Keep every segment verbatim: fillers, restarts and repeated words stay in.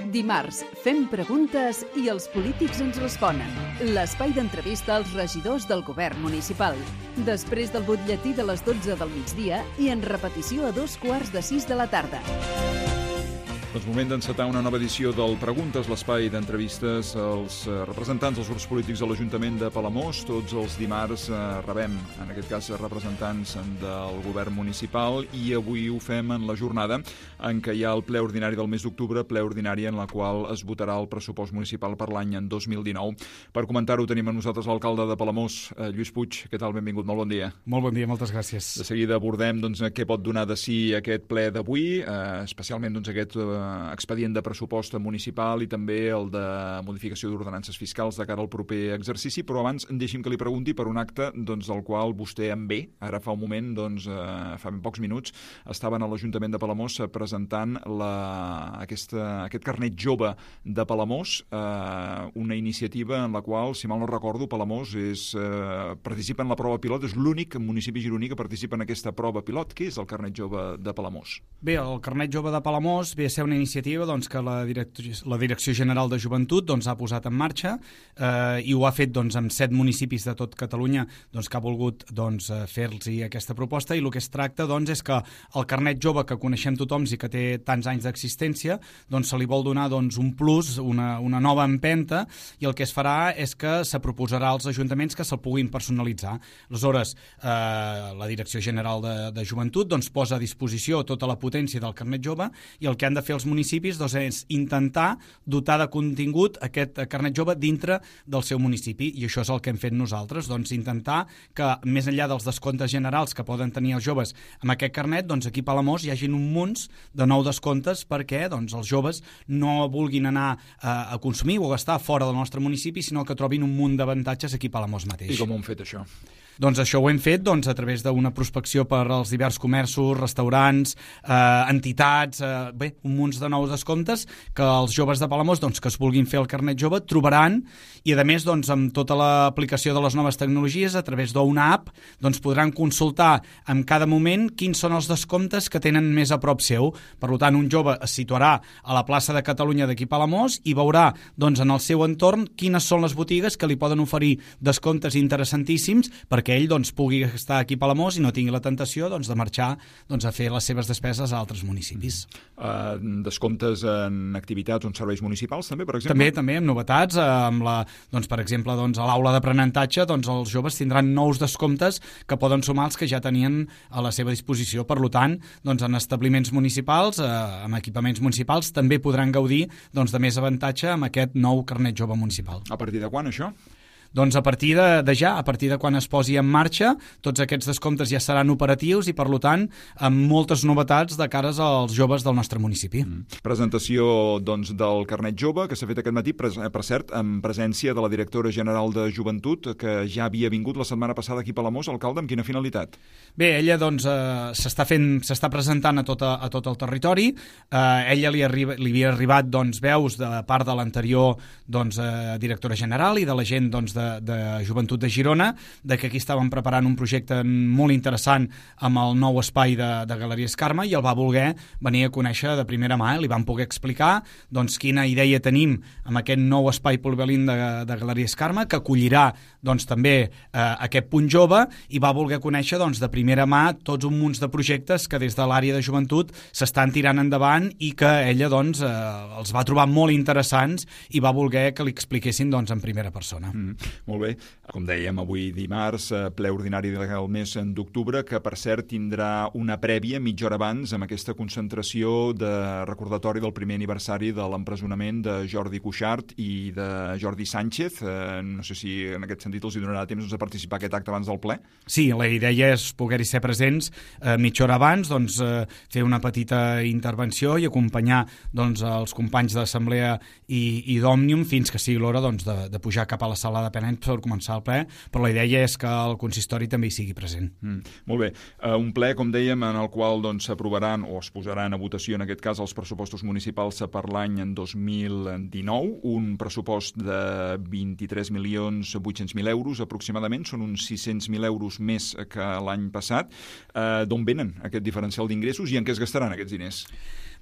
Dimarts, fem preguntes i els polítics ens responen. L'espai d'entrevista als regidors del govern municipal. Després del butlletí de les dotze del migdia i en repetició a dos quarts de sis de la tarda. Doncs moment d'encetar una nova edició del Preguntes, l'espai d'entrevistes als representants dels grups polítics de l'Ajuntament de Palamós. Tots els dimarts rebem, en aquest cas, representants del govern municipal i avui ho fem en la jornada en què hi ha el ple ordinari del mes d'octubre, ple ordinari en la qual es votarà el pressupost municipal per l'any en dos mil dinou. Per comentar-ho tenim amb nosaltres l'alcalde de Palamós, Lluís Puig. Què tal? Benvingut, molt bon dia. Molt bon dia, moltes gràcies. De seguida abordem doncs, què pot donar de si aquest ple d'avui, eh, especialment doncs, aquest eh, expedient de pressupost municipal i també el de modificació d'ordenances fiscals de cara al proper exercici, però abans deixi'm que li pregunti per un acte doncs, del qual vostè en ve. Ara fa un moment, doncs, eh, fa ben pocs minuts, estaven a l'Ajuntament de Palamós presentant la, aquesta, aquest carnet jove de Palamós, eh, una iniciativa en la qual, si mal no recordo, Palamós és, eh, participa en la prova pilot, és l'únic municipi gironí que participa en aquesta prova pilot. Què és el carnet jove de Palamós? Bé, el carnet jove de Palamós ve a ser una iniciativa doncs, que la Direcció, la Direcció General de Joventut doncs, ha posat en marxa eh, i ho ha fet doncs, amb set municipis de tot Catalunya doncs, que ha volgut doncs, fer-los aquesta proposta, i el que es tracta doncs, és que el carnet jove que coneixem tothom i que té tants anys d'existència doncs, se li vol donar doncs, un plus, una, una nova empenta, i el que es farà és que se proposarà als ajuntaments que se'l puguin personalitzar. Aleshores, eh, la Direcció General de, de Joventut doncs, posa a disposició tota la potència del carnet jove, i el que han de fer els municipis doncs, és intentar dotar de contingut aquest carnet jove dintre del seu municipi, i això és el que hem fet nosaltres, doncs intentar que més enllà dels descomptes generals que poden tenir els joves amb aquest carnet, doncs aquí a Palamós hi hagin un munt de nous descomptes perquè doncs, els joves no vulguin anar a, a consumir o a gastar fora del nostre municipi, sinó que trobin un munt d'avantatges aquí a Palamós mateix. I com ho hem fet, això? Doncs això ho hem fet doncs, a través d'una prospecció per als diversos comerços, restaurants, eh, entitats, eh, bé, un munt de nous descomptes que els joves de Palamós doncs, que es vulguin fer el carnet jove trobaran, i a més doncs, amb tota l'aplicació de les noves tecnologies a través d'una app doncs, podran consultar en cada moment quins són els descomptes que tenen més a prop seu. Per tant, un jove es situarà a la plaça de Catalunya d'aquí a Palamós i veurà doncs, en el seu entorn quines són les botigues que li poden oferir descomptes interessantíssims perquè que ell doncs, pugui estar aquí a Palamós i no tingui la tentació doncs, de marxar doncs, a fer les seves despeses a altres municipis. Uh, descomptes en activitats o en serveis municipals, també, per exemple? També, també, amb novetats. Amb la, doncs, per exemple, doncs, a l'aula d'aprenentatge doncs, els joves tindran nous descomptes que poden sumar els que ja tenien a la seva disposició. Per tant, doncs, en establiments municipals, eh, amb equipaments municipals, també podran gaudir doncs, de més avantatge amb aquest nou carnet jove municipal. A partir de quan, això? Doncs a partir de, de ja, a partir de quan es posi en marxa, tots aquests descomptes ja seran operatius i, per tant, amb moltes novetats de cares als joves del nostre municipi. Mm. Presentació doncs, del carnet jove, que s'ha fet aquest matí, per, per cert, en presència de la directora general de Joventut, que ja havia vingut la setmana passada aquí a Palamós. Alcalde, amb quina finalitat? Bé, ella doncs, eh, s'està fent, s'està presentant a tot, a, a tot el territori. Eh, ella li, arriba, li havia arribat doncs, veus de part de l'anterior doncs, eh, directora general i de la gent doncs, de, de Joventut de Girona, de que aquí estàvem preparant un projecte molt interessant amb el nou espai de, de Galeries Carme, i el va voler venir a conèixer de primera mà. Li vam poder explicar doncs, quina idea tenim amb aquest nou espai polivalent de, de Galeries Carme, que acollirà doncs, també eh, aquest punt jove, i va voler conèixer doncs, de primera mà tots un munt de projectes que des de l'àrea de joventut s'estan tirant endavant i que ella doncs, eh, els va trobar molt interessants i va voler que li expliquessin doncs, en primera persona. Mm. Molt bé. Com dèiem, avui dimarts, ple ordinari del mes d'octubre, que per cert tindrà una prèvia mitja hora abans amb aquesta concentració de recordatori del primer aniversari de l'empresonament de Jordi Cuixart i de Jordi Sánchez. Eh, no sé si en aquest sentit els hi donarà temps doncs, a participar a aquest acte abans del ple. Sí, la idea és poder-hi ser presents eh, mitja hora abans, doncs, eh, fer una petita intervenció i acompanyar doncs, els companys d'Assemblea i, i d'Òmnium fins que sigui l'hora doncs, de, de pujar cap a la sala de Penedès per començar el ple, però la idea és que el consistori també hi sigui present. Mm, molt bé. Uh, un ple, com dèiem, en el qual doncs, s'aprovaran o es posaran a votació, en aquest cas, els pressupostos municipals per l'any en dos mil dinou, un pressupost de vint-i-tres milions vuit-cents mil euros aproximadament, són uns sis-cents mil euros més que l'any passat. Uh, d'on venen aquest diferencial d'ingressos i en què es gastaran aquests diners?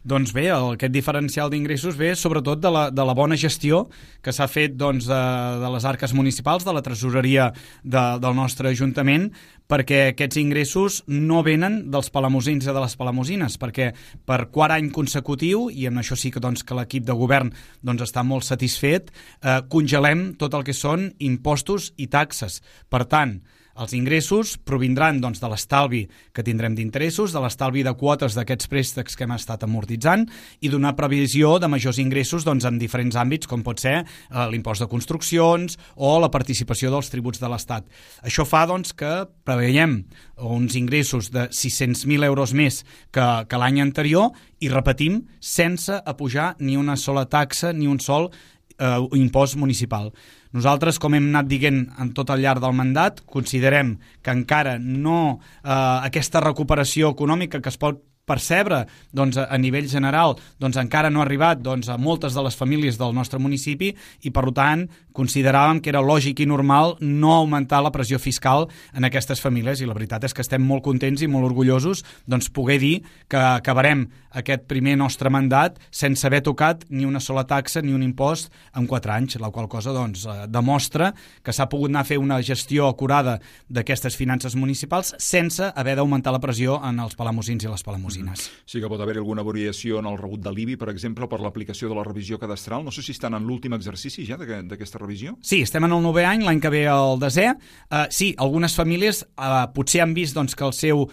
Doncs bé, el, aquest diferencial d'ingressos ve sobretot de la, de la bona gestió que s'ha fet doncs, de, de les arques municipals, de la tresoreria de, del nostre Ajuntament, perquè aquests ingressos no venen dels palamosins i de les palamosines, perquè per quart any consecutiu, i amb això sí que, doncs, que l'equip de govern doncs, està molt satisfet, eh, congelem tot el que són impostos i taxes. Per tant, els ingressos provindran doncs, de l'estalvi que tindrem d'interessos, de l'estalvi de quotes d'aquests préstecs que hem estat amortitzant i d'una previsió de majors ingressos doncs, en diferents àmbits, com pot ser eh, l'impost de construccions o la participació dels tributs de l'Estat. Això fa doncs, que preveiem uns ingressos de sis-cents mil euros més que, que l'any anterior i, repetim, sense apujar ni una sola taxa ni un sol eh, impost municipal. Nosaltres, com hem anat dient en tot el llarg del mandat, considerem que encara no eh, aquesta recuperació econòmica que es pot percebre doncs, a nivell general doncs, encara no ha arribat doncs, a moltes de les famílies del nostre municipi i, per tant, consideràvem que era lògic i normal no augmentar la pressió fiscal en aquestes famílies i la veritat és que estem molt contents i molt orgullosos doncs, poder dir que acabarem aquest primer nostre mandat sense haver tocat ni una sola taxa ni un impost en quatre anys, la qual cosa doncs, demostra que s'ha pogut anar a fer una gestió acurada d'aquestes finances municipals sense haver d'augmentar la pressió en els palamosins i les palamosines. Sí que pot haver alguna variació en el rebut de l'I B I, per exemple, per l'aplicació de la revisió cadastral. No sé si estan en l'últim exercici ja d'aquesta revisió. Sí, estem en el novè any, l'any que ve el desè. Uh, sí, algunes famílies uh, potser han vist doncs, que el seu uh,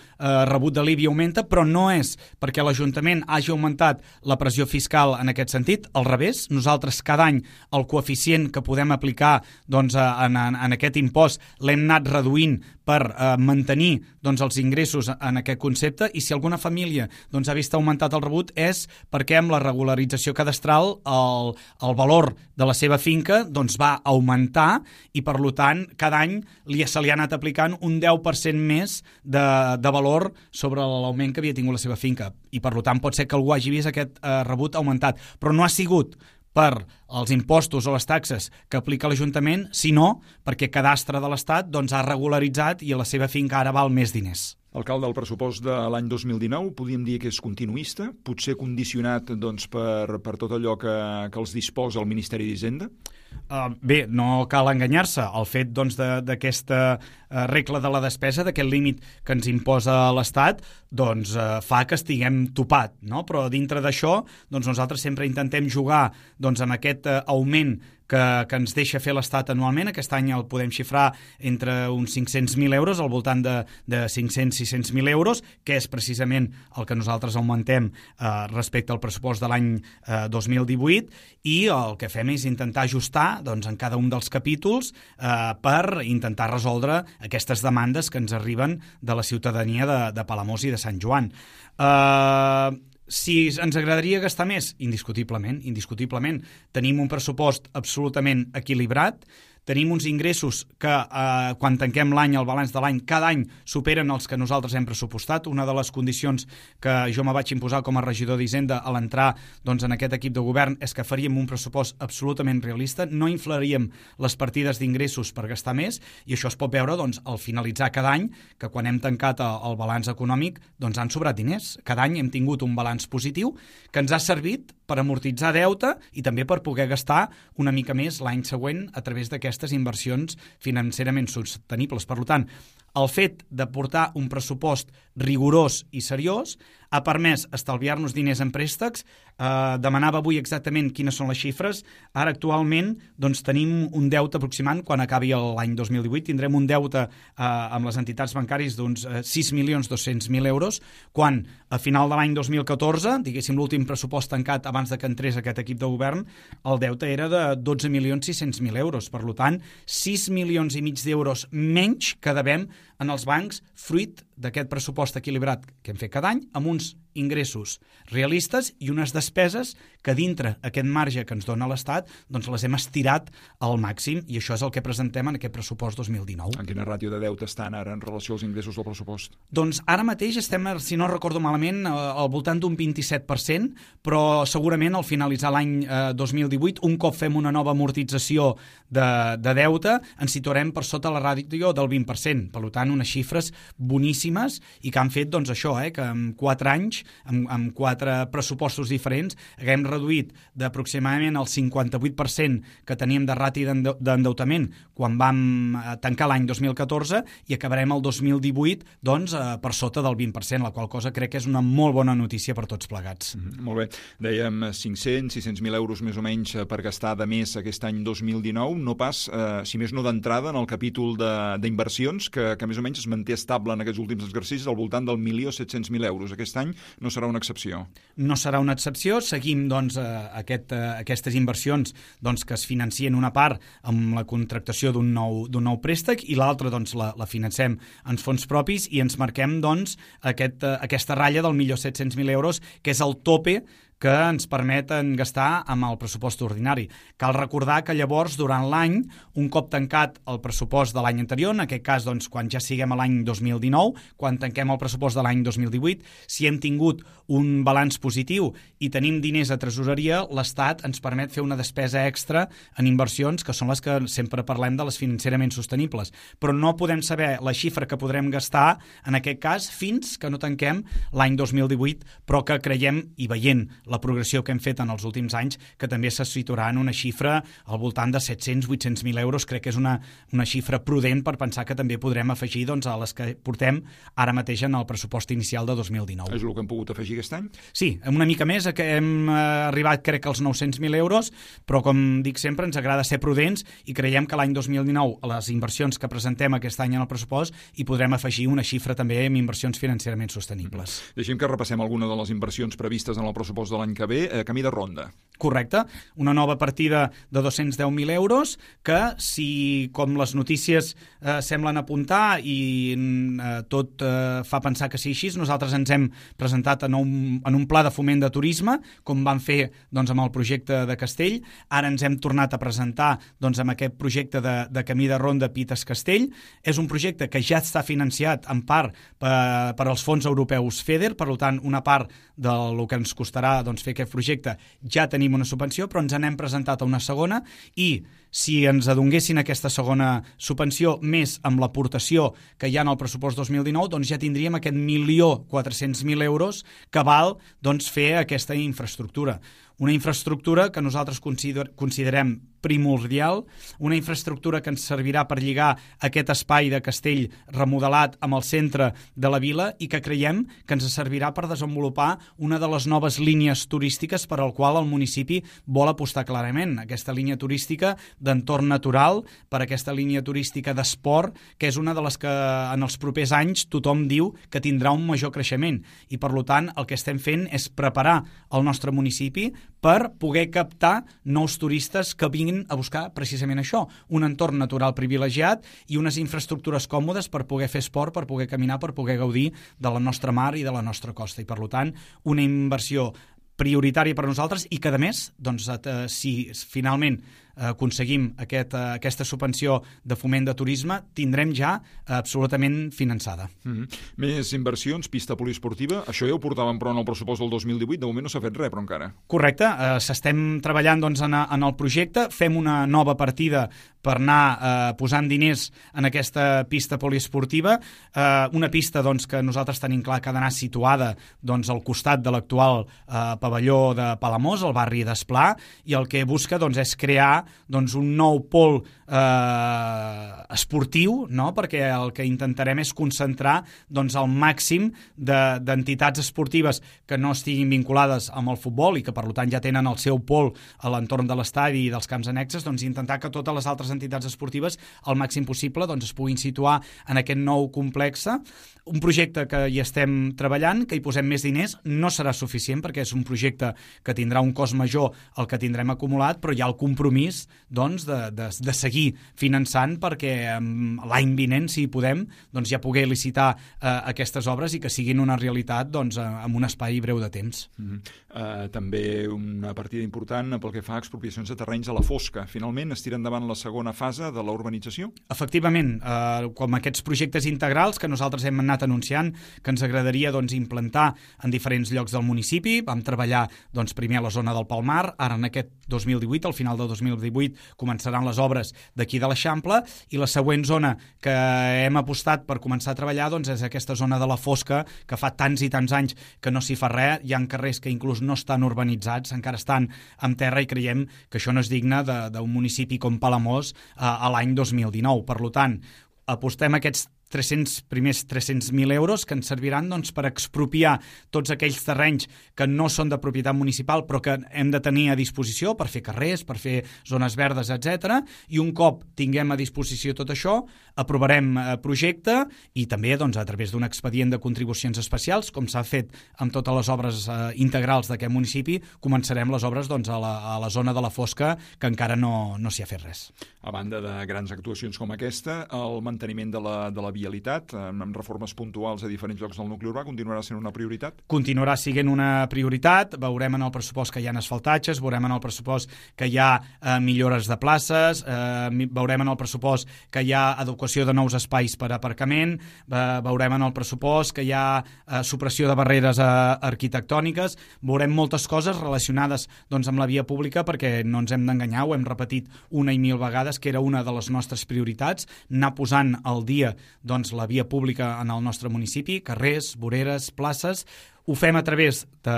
rebut de l'I B I augmenta, però no és perquè l'Ajuntament hagi augmentat la pressió fiscal en aquest sentit. Al revés, nosaltres cada any el coeficient que podem aplicar doncs, en, en, en aquest impost l'hem anat reduint per eh, mantenir doncs, els ingressos en aquest concepte i si alguna família doncs, ha vist augmentat el rebut és perquè amb la regularització cadastral el, el valor de la seva finca doncs, va augmentar i per tant cada any li, se li ha anat aplicant un deu per cent més de, de valor sobre l'augment que havia tingut la seva finca i per tant pot ser que algú hagi vist aquest eh, rebut augmentat, però no ha sigut per els impostos o les taxes que aplica l'Ajuntament, sinó perquè Cadastre de l'Estat doncs, ha regularitzat i a la seva finca ara val més diners. Alcalde, el pressupost de l'any dos mil dinou podríem dir que és continuista, potser condicionat doncs, per, per tot allò que, que els disposa el Ministeri d'Hisenda? Uh, bé, no cal enganyar-se. El fet doncs, d'aquesta uh, regla de la despesa, d'aquest límit que ens imposa l'Estat, doncs, uh, fa que estiguem topat, no? Però dintre d'això doncs, nosaltres sempre intentem jugar doncs, amb aquest uh, augment que, que ens deixa fer l'Estat anualment. Aquest any el podem xifrar entre uns cinc-cents mil euros, al voltant de, de cinc-cents a sis-cents mil euros, que és precisament el que nosaltres augmentem eh, respecte al pressupost de l'any eh, dos mil divuit, i el que fem és intentar ajustar doncs, en cada un dels capítols eh, per intentar resoldre aquestes demandes que ens arriben de la ciutadania de, de Palamós i de Sant Joan. Eh... Si ens agradaria gastar més? Indiscutiblement, indiscutiblement. Tenim un pressupost absolutament equilibrat, tenim uns ingressos que eh, quan tanquem l'any, el balanç de l'any, cada any superen els que nosaltres hem pressupostat. Una de les condicions que jo me vaig imposar com a regidor d'Hisenda a l'entrar doncs, en aquest equip de govern és que faríem un pressupost absolutament realista, no inflaríem les partides d'ingressos per gastar més i això es pot veure doncs, al finalitzar cada any, que quan hem tancat el balanç econòmic doncs, han sobrat diners. Cada any hem tingut un balanç positiu que ens ha servit per amortitzar deute i també per poder gastar una mica més l'any següent a través d'aquestes inversions financerament sostenibles. Per tant, el fet de portar un pressupost rigorós i seriós ha permès estalviar-nos diners en préstecs. Eh, demanava avui exactament quines són les xifres. Ara actualment doncs, tenim un deute aproximant, quan acabi l'any dos mil divuit, tindrem un deute eh, amb les entitats bancàries d'uns eh, sis milions dos-cents mil euros, quan a final de l'any dos mil catorze, diguéssim l'últim pressupost tancat abans de que entrés aquest equip de govern, el deute era de dotze milions sis-cents mil euros. Per tant, sis milions i mig d'euros menys que devem en els bancs, fruit d'aquest pressupost equilibrat que hem fet cada any, amb uns ingressos realistes i unes despeses que dintre aquest marge que ens dona l'Estat doncs les hem estirat al màxim i això és el que presentem en aquest pressupost dos mil dinou. En quina ràtio de deute estan ara en relació als ingressos del pressupost? Doncs ara mateix estem, si no recordo malament, al voltant d'un vint-i-set per cent, però segurament al finalitzar l'any dos mil divuit, un cop fem una nova amortització de, de deute, ens situarem per sota la ràtio del vint per cent. Per tant, unes xifres boníssimes i que han fet doncs, això, eh, que en quatre anys anys, amb, amb quatre pressupostos diferents, haguem reduït d'aproximadament el cinquanta-vuit per cent que teníem de rati d'endeutament quan vam tancar l'any dos mil catorze i acabarem el dos mil divuit doncs, per sota del vint per cent, la qual cosa crec que és una molt bona notícia per tots plegats. Mm, molt bé. Dèiem cinc-cents, sis-cents mil euros més o menys per gastar de més aquest any dos mil dinou, no pas, eh, si més no d'entrada, en el capítol d'inversions, que, que més o menys es manté estable en aquests últims exercicis al voltant del milió set-cents mil euros. Aquest any no serà una excepció. No serà una excepció. Seguim doncs, aquest, aquestes inversions doncs, que es financien una part amb la contractació d'un nou, d'un nou préstec i l'altra doncs, la, la financem en fons propis i ens marquem doncs, aquest, aquesta ratlla del milió set-cents mil euros, que és el tope que ens permeten gastar amb el pressupost ordinari. Cal recordar que llavors, durant l'any, un cop tancat el pressupost de l'any anterior, en aquest cas, doncs, quan ja siguem a l'any dos mil dinou, quan tanquem el pressupost de l'any dos mil divuit, si hem tingut un balanç positiu i tenim diners a tresoreria, l'Estat ens permet fer una despesa extra en inversions, que són les que sempre parlem de les financerament sostenibles. Però no podem saber la xifra que podrem gastar, en aquest cas, fins que no tanquem l'any dos mil divuit, però que creiem, i veient la progressió que hem fet en els últims anys, que també se situarà en una xifra al voltant de set-cents a vuit-cents mil euros. Crec que és una, una xifra prudent per pensar que també podrem afegir doncs, a les que portem ara mateix en el pressupost inicial de dos mil dinou. És el que hem pogut afegir aquest any? Sí, una mica més, que hem arribat crec als nou-cents mil euros, però com dic sempre ens agrada ser prudents i creiem que l'any dos mil dinou a les inversions que presentem aquest any en el pressupost hi podrem afegir una xifra també amb inversions financerament sostenibles. Mm-hmm. Deixem que repassem alguna de les inversions previstes en el pressupost de l'any que ve, eh, camí de ronda. Correcte, una nova partida de dos-cents deu mil euros que si, com les notícies eh, semblen apuntar i eh, tot eh, fa pensar que sí així, nosaltres ens hem presentat en un, en un pla de foment de turisme, com vam fer doncs, amb el projecte de Castell. Ara ens hem tornat a presentar doncs, amb aquest projecte de, de camí de ronda Pites-Castell. És un projecte que ja està financiat en part per, per als fons europeus FEDER, per tant, una part del que ens costarà doncs, fer aquest projecte ja tenim una subvenció, però ens n'hem presentat a una segona i si ens adonguessin aquesta segona subvenció més amb l'aportació que hi ha en el pressupost dos mil dinou, doncs ja tindríem aquest milió quatre-cents mil euros que val doncs, fer aquesta infraestructura. Una infraestructura que nosaltres consider, considerem primordial, una infraestructura que ens servirà per lligar aquest espai de Castell remodelat amb el centre de la vila i que creiem que ens servirà per desenvolupar una de les noves línies turístiques per al qual el municipi vol apostar clarament. Aquesta línia turística d'entorn natural, per aquesta línia turística d'esport, que és una de les que en els propers anys tothom diu que tindrà un major creixement. I per tant el que estem fent és preparar el nostre municipi per poder captar nous turistes que vinguin a buscar precisament això, un entorn natural privilegiat i unes infraestructures còmodes per poder fer esport, per poder caminar, per poder gaudir de la nostra mar i de la nostra costa. I per tant, una inversió prioritària per a nosaltres i que, a més, doncs, eh, si finalment eh, aconseguim aquest, eh, aquesta subvenció de foment de turisme, tindrem ja eh, absolutament finançada. Mm-hmm. Més inversions, pista poliesportiva, això ja ho portàvem però en el pressupost del dos mil divuit, de moment no s'ha fet res, però encara. Correcte, eh, s'estem treballant doncs, en, en el projecte, fem una nova partida per anar eh, posant diners en aquesta pista poliesportiva, eh, una pista doncs, que nosaltres tenim clar que ha d'anar situada doncs, al costat de l'actual eh, pavelló de Palamós, al barri d'Esplà, i el que busca doncs, és crear doncs, un nou pol eh, esportiu, no? Perquè el que intentarem és concentrar doncs, el màxim d'entitats de, esportives que no estiguin vinculades amb el futbol i que per tant ja tenen el seu pol a l'entorn de l'estadi i dels camps annexes, doncs intentar que totes les altres entitats esportives al màxim possible doncs, es puguin situar en aquest nou complex. Un projecte que hi estem treballant, que hi posem més diners, no serà suficient perquè és un projecte que tindrà un cost major al que tindrem acumulat, però hi ha el compromís doncs, de, de, de seguir finançant perquè um, l'any vinent, si podem, doncs, ja poder licitar uh, aquestes obres i que siguin una realitat doncs, en un espai breu de temps. Mm-hmm. uh, també una partida important pel que fa a expropiacions de terrenys a la fosca. Finalment es tira endavant la segona fase de la urbanització? Efectivament, uh, com aquests projectes integrals que nosaltres hem anat anunciant que ens agradaria doncs, implantar en diferents llocs del municipi. Vam treballar doncs, primer a la zona del Palmar, ara en aquest dos mil divuit, al final del dos mil divuit començaran les obres d'aquí de l'Eixample, i la següent zona que hem apostat per començar a treballar doncs, és aquesta zona de la Fosca, que fa tants i tants anys que no s'hi fa res. Hi ha carrers que inclús no estan urbanitzats, encara estan en terra, i creiem que això no és digne d'un municipi com Palamós a, a l'any dos mil dinou. Per tant, apostem aquests tres-cents, primers tres-cents mil euros que ens serviran doncs, per expropiar tots aquells terrenys que no són de propietat municipal però que hem de tenir a disposició per fer carrers, per fer zones verdes, etcètera. I un cop tinguem a disposició tot això, aprovarem eh, projecte, i també doncs, a través d'un expedient de contribucions especials, com s'ha fet amb totes les obres eh, integrals d'aquest municipi, començarem les obres doncs, a, la, a la zona de la Fosca, que encara no, no s'hi ha fet res. A banda de grans actuacions com aquesta, el manteniment de la, de la vialitat, amb reformes puntuals a diferents llocs del nucli urbà, continuarà sent una prioritat? Continuarà sent una prioritat. Veurem en el pressupost que hi ha asfaltatges, veurem en el pressupost que hi ha eh, millores de places, eh, veurem en el pressupost que hi ha adequació de nous espais per aparcament, eh, veurem en el pressupost que hi ha eh, supressió de barreres eh, arquitectòniques, veurem moltes coses relacionades doncs, amb la via pública, perquè no ens hem d'enganyar, ho hem repetit una i mil vegades, que era una de les nostres prioritats, anar posant al dia doncs, la via pública en el nostre municipi, carrers, voreres, places. Ho fem a través de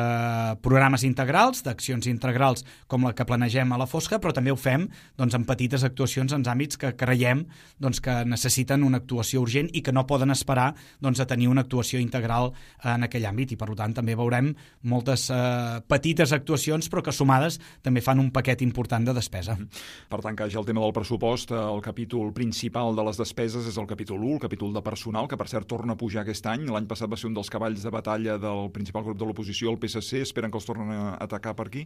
programes integrals, d'accions integrals com la que planegem a la Fosca, però també ho fem doncs, en petites actuacions en àmbits que creiem doncs, que necessiten una actuació urgent i que no poden esperar doncs, a tenir una actuació integral en aquell àmbit. I per tant també veurem moltes eh, petites actuacions però que sumades també fan un paquet important de despesa. Per tant, que ja el tema del pressupost, el capítol principal de les despeses és el capítol u, el capítol de personal, que per cert torna a pujar aquest any. L'any passat va ser un dels cavalls de batalla del principal grup de l'oposició, el P S C. Esperen que els tornen a atacar per aquí?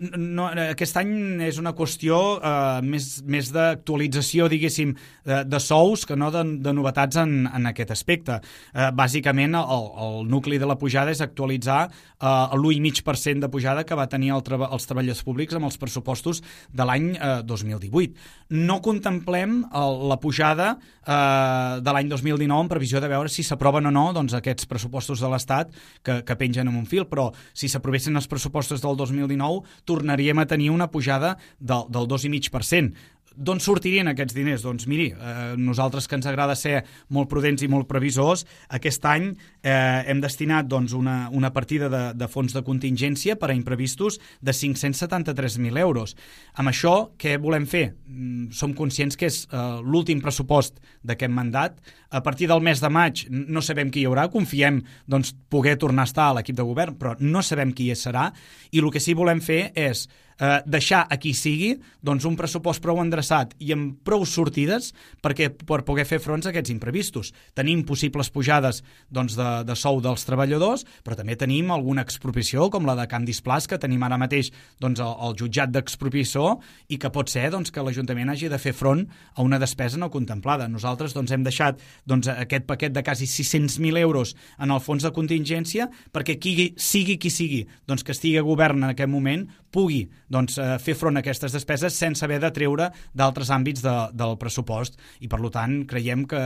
No, aquest any és una qüestió eh, més, més d'actualització, diguéssim, de, de sous que no de, de novetats en, en aquest aspecte. Eh, bàsicament, el, el nucli de la pujada és actualitzar eh, l'u i mig per cent de pujada que va tenir el treba, els treballadors públics amb els pressupostos de l'any eh, dos mil divuit. No contemplem el, la pujada eh, de l'any dos mil dinou en previsió de veure si s'aproven o no doncs, aquests pressupostos de l'Estat que, que pengen en un fil, però si s'aprovessin els pressupostos del dos mil dinou tornaríem a tenir una pujada del, del dos i mig per cent. D'on sortirien aquests diners? Doncs miri, eh, nosaltres que ens agrada ser molt prudents i molt previsors, aquest any eh, hem destinat doncs, una, una partida de, de fons de contingència per a imprevistos de cinc-cents setanta-tres mil euros. Amb això, què volem fer? Mm, som conscients que és eh, l'últim pressupost d'aquest mandat. A partir del mes de maig no sabem qui hi haurà, confiem doncs, poder tornar a estar a l'equip de govern, però no sabem qui hi serà, i el que sí volem fer és Eh, deixar a qui sigui doncs, un pressupost prou endreçat i amb prou sortides perquè, per poder fer fronts a aquests imprevistos. Tenim possibles pujades doncs, de, de sou dels treballadors, però també tenim alguna expropiació, com la de Can Displàs, que tenim ara mateix doncs, el, el jutjat d'expropiació, i que pot ser doncs, que l'Ajuntament hagi de fer front a una despesa no contemplada. Nosaltres doncs, hem deixat doncs, aquest paquet de quasi sis-cents mil euros en el fons de contingència perquè qui sigui qui sigui doncs, que estigui a govern en aquest moment pugui doncs, eh, fer front a aquestes despeses sense haver de treure d'altres àmbits de, del pressupost, i per tant creiem que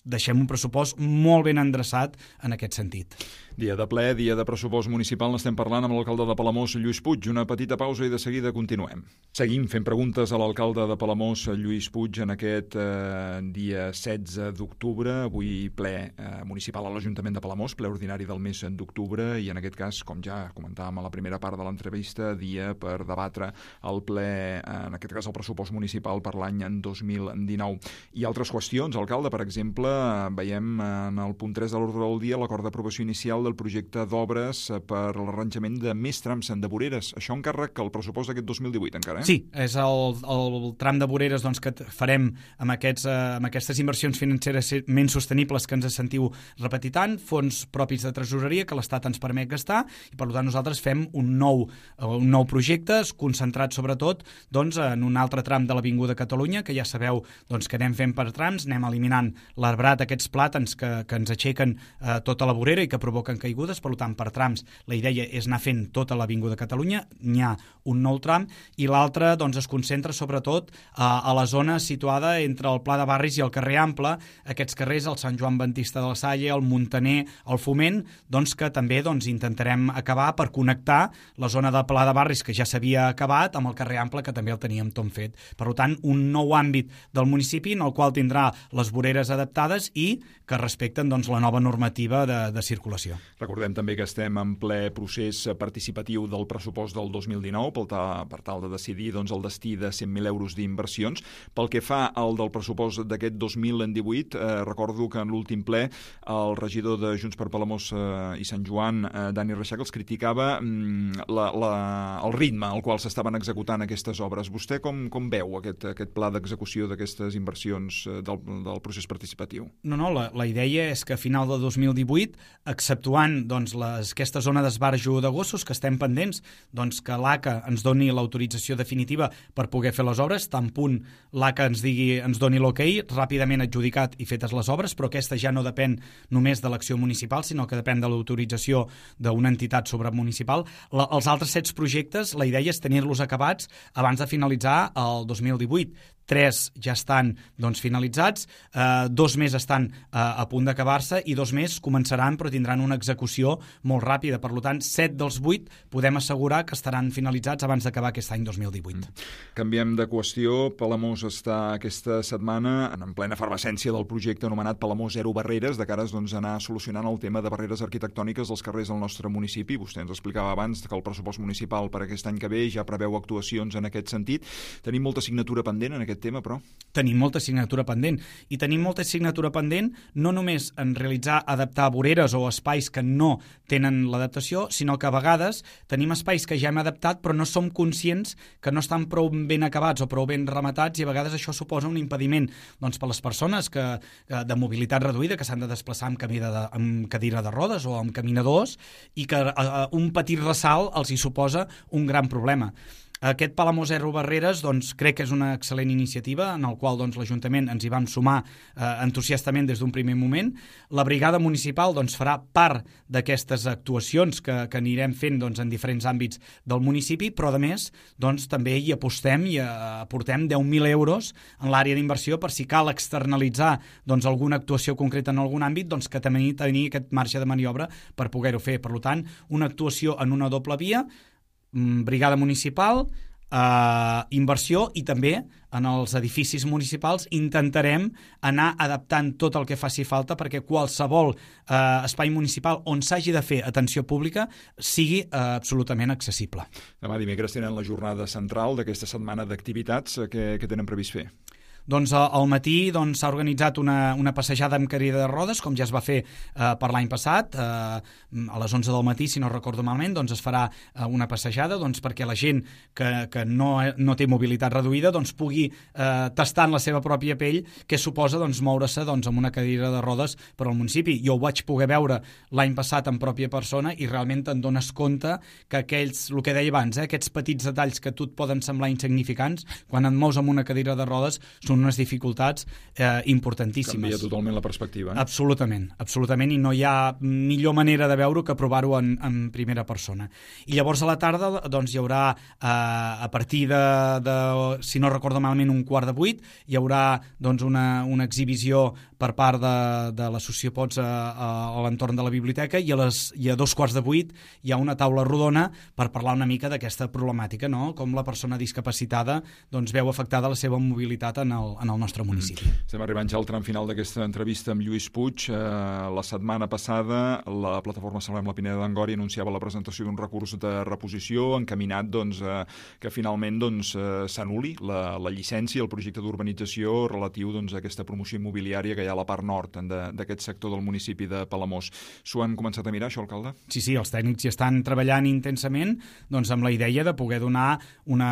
deixem un pressupost molt ben endreçat en aquest sentit. Dia de ple, dia de pressupost municipal, n'estem parlant amb l'alcalde de Palamós, Lluís Puig. Una petita pausa i de seguida continuem. Seguim fent preguntes a l'alcalde de Palamós, Lluís Puig, en aquest eh, dia setze d'octubre, avui ple eh, municipal a l'Ajuntament de Palamós, ple ordinari del mes d'octubre, i en aquest cas, com ja comentàvem a la primera part de l'entrevista, dia per debatre el ple, en aquest cas el pressupost municipal per l'any dos mil dinou. I altres qüestions, alcalde, per exemple, veiem en el punt tres de l'ordre del dia l'acord d'aprovació inicial del projecte d'obres per l'arranjament de més trams de voreres. Això encàrrec el pressupost d'aquest dos mil divuit encara, eh? Sí, és el, el tram de voreres doncs, que farem amb, aquests, eh, amb aquestes inversions financeres menys sostenibles que ens sentiu repetir tant, fons propis de tresoreria que l'Estat ens permet gastar, i per tant nosaltres fem un nou, un nou projecte concentrat sobretot doncs, en un altre tram de l'Avinguda Catalunya, que ja sabeu doncs, que anem fent per trams, anem eliminant l'arbrat, aquests plàtans que, que ens aixequen eh, tota la vorera i que provoquen caigudes, per tant, per trams la idea és anar fent tota l'Avinguda Catalunya, n'hi ha un nou tram, i l'altre doncs, es concentra sobretot a, a la zona situada entre el Pla de Barris i el carrer Ample, aquests carrers, el Sant Joan Baptista de la Salle, el Muntaner, el Foment, doncs, que també doncs, intentarem acabar per connectar la zona del Pla de Barris, que ja s'havia acabat, amb el carrer Ample, que també el teníem tot fet. Per tant, un nou àmbit del municipi en el qual tindrà les voreres adaptades i que respecten doncs, la nova normativa de, de circulació. Recordem també que estem en ple procés participatiu del pressupost del dos mil dinou per tal, per tal de decidir doncs, el destí de cent mil euros d'inversions. Pel que fa al del pressupost d'aquest dos mil divuit, eh, recordo que en l'últim ple el regidor de Junts per Palamós eh, i Sant Joan, eh, Dani Reixac, els criticava mm, la, la, el ritme al qual s'estaven executant aquestes obres. Vostè com, com veu aquest, aquest pla d'execució d'aquestes inversions eh, del, del procés participatiu? No, no, la, la idea és que a final de dos mil divuit, exceptuant doncs, les, aquesta zona d'esbarjo de gossos que estem pendents, doncs que l'A C A ens doni l'autorització definitiva per poder fer les obres, tant punt l'A C A ens digui, ens doni l'ok, ràpidament adjudicat i fetes les obres, però aquesta ja no depèn només de l'acció municipal, sinó que depèn de l'autorització d'una entitat sobremunicipal. La, els altres set projectes, la idea és tenir-los acabats abans de finalitzar el dos mil divuit. Tres ja estan doncs, finalitzats, eh, dos més estan eh, a punt d'acabar-se i dos més començaran però tindran una execució molt ràpida. Per tant, set dels vuit podem assegurar que estaran finalitzats abans d'acabar aquest any dos mil divuit. Mm. Canviem de qüestió. Palamós està aquesta setmana en plena efervescència del projecte anomenat Palamós Zero Barreres, de cares doncs, a anar solucionant el tema de barreres arquitectòniques dels carrers del nostre municipi. Vostè ens explicava abans que el pressupost municipal per aquest any que ve ja preveu actuacions en aquest sentit. Tenim molta assignatura pendent en aquest tema, però? Tenim molta assignatura pendent i tenim molta assignatura pendent no només en realitzar, adaptar voreres o espais que no tenen l'adaptació, sinó que a vegades tenim espais que ja hem adaptat però no som conscients que no estan prou ben acabats o prou ben rematats i a vegades això suposa un impediment doncs, per les persones que, de mobilitat reduïda que s'han de desplaçar amb, camí de, amb cadira de rodes o amb caminadors i que uh, un petit ressalt els hi suposa un gran problema. Aquest Palamós Zero Barreres doncs, crec que és una excel·lent iniciativa en el qual doncs, l'Ajuntament ens hi vam sumar eh, entusiastament des d'un primer moment. La brigada municipal doncs, farà part d'aquestes actuacions que, que anirem fent doncs, en diferents àmbits del municipi, però a més doncs, també hi apostem i aportem deu mil euros en l'àrea d'inversió per si cal externalitzar doncs, alguna actuació concreta en algun àmbit, doncs, que també tenir aquest marge de maniobra per poder-ho fer. Per tant, una actuació en una doble via, brigada municipal, eh, inversió i també en els edificis municipals intentarem anar adaptant tot el que faci falta perquè qualsevol eh, espai municipal on s'hagi de fer atenció pública sigui eh, absolutament accessible. Demà dimecres tenen la jornada central d'aquesta setmana d'activitats. Què, què tenen previst fer? Doncs al matí doncs, s'ha organitzat una, una passejada amb cadira de rodes, com ja es va fer eh, per l'any passat. Eh, a les onze del matí, si no recordo malament, doncs es farà eh, una passejada doncs, perquè la gent que, que no, no té mobilitat reduïda doncs, pugui eh, tastar en la seva pròpia pell què suposa doncs, moure-se doncs, amb una cadira de rodes per al municipi. Jo ho vaig poder veure l'any passat en pròpia persona i realment te'n dones compte que aquells, el que deia abans, eh, aquests petits detalls que a tu et poden semblar insignificants, quan et mous amb una cadira de rodes són unes dificultats eh, importantíssimes. Canvia totalment la perspectiva. Eh? Absolutament, absolutament, i no hi ha millor manera de veure-ho que provar-ho en, en primera persona. I llavors a la tarda doncs, hi haurà, eh, a partir de, de, si no recordo malament, un quart de vuit, hi haurà doncs, una, una exhibició per part de, de l'associació Pots a, a, a l'entorn de la biblioteca i a, les, i a dos quarts de vuit hi ha una taula rodona per parlar una mica d'aquesta problemàtica, no? Com la persona discapacitada doncs, veu afectada la seva mobilitat en el, en el nostre municipi. Mm. Estem arribant ja al tram final d'aquesta entrevista amb Lluís Puig. Eh, la setmana passada la plataforma Salvem la Pineda d'Angori anunciava la presentació d'un recurs de reposició encaminat doncs, eh, que finalment doncs, eh, s'anul·li la, la llicència, el projecte d'urbanització relatiu doncs, a aquesta promoció immobiliària que hi ha a la part nord d'aquest sector del municipi de Palamós. S'ho han començat a mirar, això, alcalde? Sí, sí, els tècnics hi estan treballant intensament doncs, amb la idea de poder donar una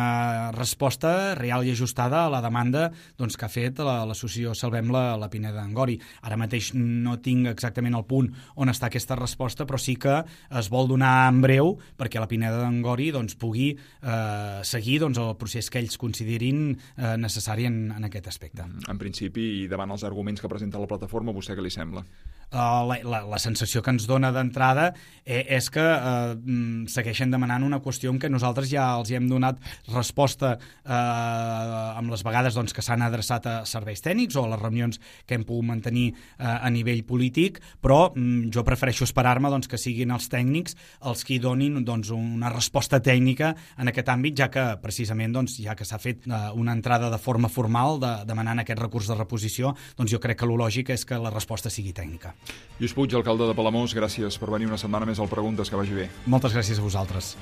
resposta real i ajustada a la demanda doncs, que ha fet l'associació Salvem la, la Pineda d'Angori. Ara mateix no tinc exactament el punt on està aquesta resposta, però sí que es vol donar en breu perquè la Pineda d'Angori doncs, pugui eh, seguir doncs, el procés que ells considerin eh, necessari en, en aquest aspecte. En principi, i davant els arguments que presenta la plataforma, vostè què li sembla? la, la, la sensació que ens dona d'entrada eh, és que eh, segueixen demanant una qüestió en què nosaltres ja els hi hem donat resposta eh, amb les vegades doncs, que s'han adreçat a serveis tècnics o a les reunions que hem pogut mantenir eh, a nivell polític, però mm, jo prefereixo esperar-me doncs, que siguin els tècnics els que hi donin doncs, una resposta tècnica en aquest àmbit, ja que precisament doncs, ja que s'ha fet eh, una entrada de forma formal de, demanant aquest recurs de reposició, doncs jo crec que el lògic és que la resposta sigui tècnica. Lluís Puig, alcalde de Palamós, gràcies per venir una setmana més al Preguntes, que vagi bé. Moltes gràcies a vosaltres.